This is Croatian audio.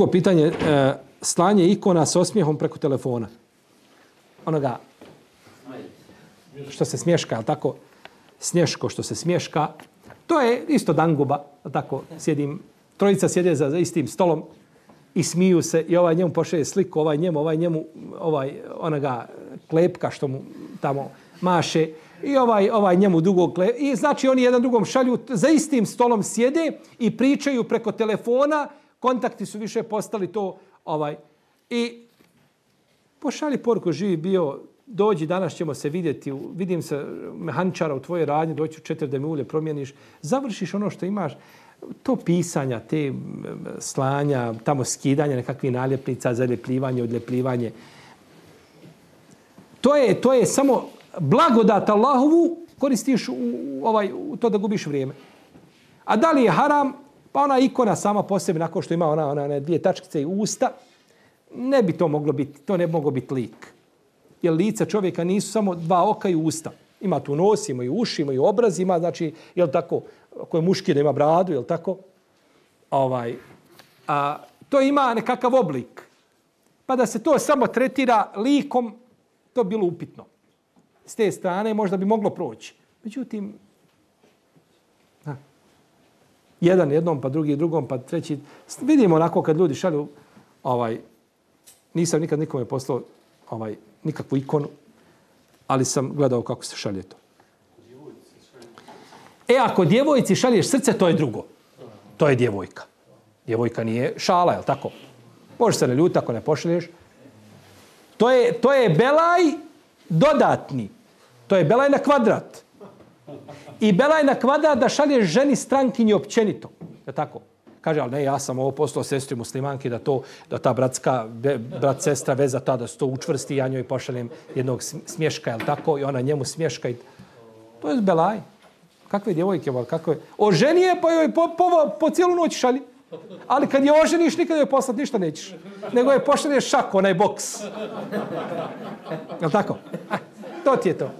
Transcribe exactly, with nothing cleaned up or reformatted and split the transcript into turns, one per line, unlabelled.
drugo pitanje, e, slanje ikona s osmijehom preko telefona. Onoga što se smješka, ali tako, snješko što se smješka. To je isto danguba, tako, sjedim, trojica sjede za, za istim stolom i smiju se i ovaj njemu pošalje sliku, ovaj njemu, ovaj njemu, ovaj onoga klepka što mu tamo maše i ovaj, ovaj njemu dugo klepka. I znači oni jedan drugom šalju, za istim stolom sjede i pričaju preko telefona, kontakti su više postali to, ovaj, i pošalji poruku, živi bio, dođi, danas ćemo se vidjeti, vidim se mehaničara u tvojoj radnji, doći u četiri da mi ulje promijeniš, završiš ono što imaš, to pisanja, te slanja, tamo skidanja nekakvih naljepnica, zaljepljivanje, odljepljivanje. To je, to je samo blagodat Allahovu, koristiš u, ovaj, u to da gubiš vrijeme. A da li je haram? Pa ona ikona sama po sebi, nakon što ima ona, ona, ona dvije tačkice i usta, ne bi to moglo biti, to ne bi moglo biti lik. Jer lica čovjeka nisu samo dva oka i usta. Ima tu nos, ima i uši, ima i obraz, ima, znači, jel tako, ako je muški da ima bradu, jel tako? Ovaj, a, to ima nekakav oblik. Pa da se to samo tretira likom, to bilo upitno. S te strane možda bi moglo proći. Međutim, ha, jedan jednom, pa drugi drugom, pa treći. Vidimo onako kad ljudi šalju, ovaj, nisam nikad nikome poslao ovaj, nikakvu ikonu, ali sam gledao kako se šalje to. E, ako djevojci šalješ srce, to je drugo. To je djevojka. Djevojka nije šala, je li tako? Može se ne ljuti ako ne pošalješ. To je, to je belaj dodatni. To je belaj na kvadrat. I belaj na kvadrat da šalješ ženi strankinji općenito. Je tako? Kaže, ali ne, ja sam ovo poslao sestri muslimanki da to, da ta bratska, brat, sestra veza ta, da se to učvrsti, ja njoj pošaljem jednog smješka, jel tako? I ona njemu smješka. I... To je belaj. Kakve djevojke, kakve... Oženi je, pa joj po, po, po cijelu noć šalji. Ali kad je oženiš, nikad joj poslat ništa nećeš. Nego je pošalješ šak, onaj boks. Jel tako? To ti je to.